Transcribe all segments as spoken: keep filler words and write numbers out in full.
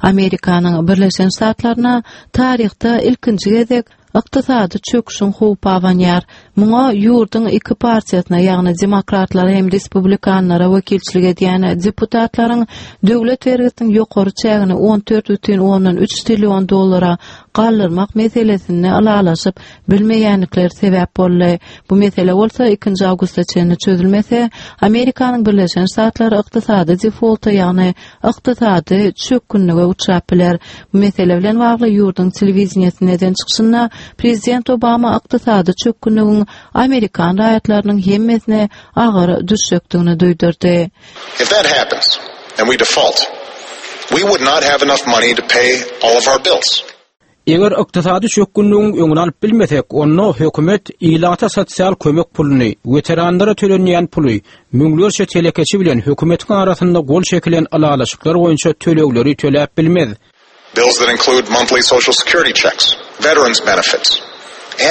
Amerikanyň Birleşen Ştatlaryna taryhda ilkinji gezek ykdysady çöküşiň howpy abanýar. Muňa ýurduň iki partiýasyna, ýagny demokratlara hem respublikanlara wekilçilik edýän deputatlaryň döwlet bergisiniň ýokary çägini on dört bütin ondan üç trillion dollara galdyrmak meselesinde ylalaşyp bilmeýändikleri sebäp boldy. Bu mesele bolsa ikinji awgusta çenli çözülmese, Amerikanyň Birleşen Ştatlary ykdysady defolta, ýagny ykdysady çökgünlige uçrap biler. Bu mesele bilen bagly ýurduň telewideniýesinde eden çykyşynda Prezident Obama ykdysady çökgünligiň Amerikan raýatlarynyň hemmesine agyr düşjekdigini duýdurdy. If that happens and we default, we would not have enough money to pay all of our bills. Eger ykdysady çökgünligiň öňüni alyp bilmesek, onda hökümet ilata sosial kömek puluny, weteranlara tölenýän puly, müňlerçe telekeçi bilen hökümetiň arasynda gol çekilen ylalaşyklar boýunça tölegleri töläp bilmez. Bills that include monthly social security checks, veterans benefits,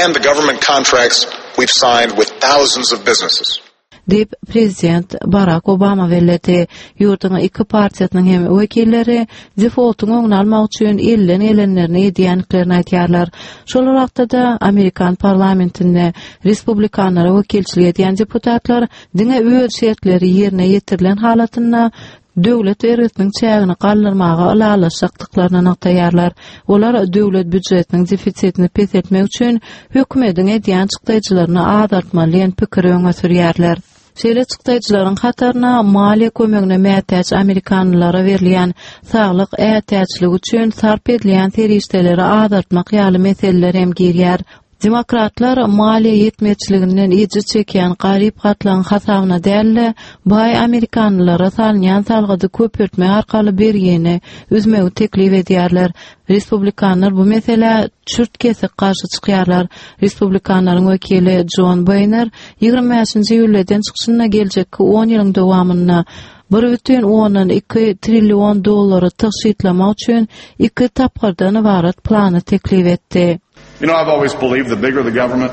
and the government contracts we've signed with thousands of businesses. Diýip, Prezident Barak Obama belledi. Ýurduň iki partiýasynyň hem wekilleri defoltyň öňüni almak üçin elden gelenlerini edýändiklerini aýdýarlar. Şol wagtda-da Amerikan parlamentinde respublikanlara wekilçilik edýän deputatlar diňe öz şertleri ýerine ýetirilen halatynda döwlet bergisiniň çägini galdyrmaga ylalaşjakdyklaryny nygtaýarlar. Olar döwlet býujetiniň defisitini peseltmek üçin hökümetiň edýän çykdaýjylaryny azaltmaly diýen pikiri öňe sürýärler. Şeýle çykdaýjylaryň hataryna maliýe kömegine mätäç amerikanlylara berilýän saglyk ätiýaçlygy üçin sarp edilýän serişdeleri azaltmak ýaly meseleler hem girýär. Demokratlar maliýe ýetmezçiliginden ejir çekýän garyp gatlagyň hasabyna däl-de, baý amerikanlylara salynýan salgydy köpeltmek arkaly bergini üzmegi teklip edýärler. Respublikanlar bu meselä çürt kesik garşy çykýarlar. Respublikanlaryň wekili John Boehner ýigrimi bäşinji iýulda eden çykyşynda geljekki on ýylyň dowamynda bir bütin ondan iki trillion dollary tygşytlamak üçin iki tapgyrdan ybarat plany teklip etdi. You know, I've always believed the bigger the government,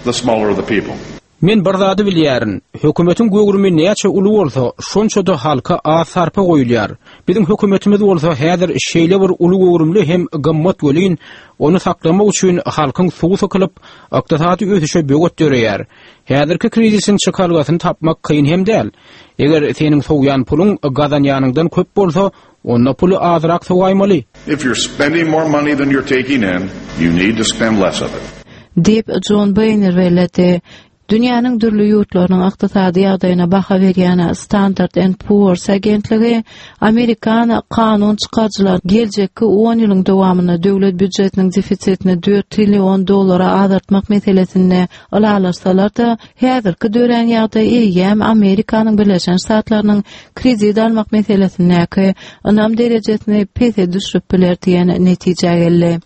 the smaller the people. Men bir zady bilýärin. Hökümetiň göwrümi näçe uly bolsa, şonça-da halka az sarpa goýulýar. Biziň hökümetimiz bolsa häzir şeýle bir uly göwrümli hem gymmat welin, ony saklamak üçin halkyň suwy sykylyp, ykdysady ösüşe böwet döreýär. Häzirki krizisiň çykalgasyny tapmak kyn hem däl. Eger seniň sowýan puluň gazanýanyňdan köp bolsa, onda puly azrak sowaýmaly. If you're spending more money than you're taking in, you need to spend less of it. Diýip, John Boehner belledi. Dünýäniň dürli ýurtlarynyň ykdysady ýagdaýyna baha berýän Standard and Poor's agentligi Amerikan kanun çykaryjylar geljekki on ýylyň dowamynda döwlet býujetiniň defisitini dört trillion dollara azaltmak meselesinde ylalaşsalar-da, häzirki dörän ýagdaý eýýäm Amerikanyň Birleşen Ştatlarynyň kredit almak meselesindäki ynam derejesini pese düşürip biler diýen netijä geldi.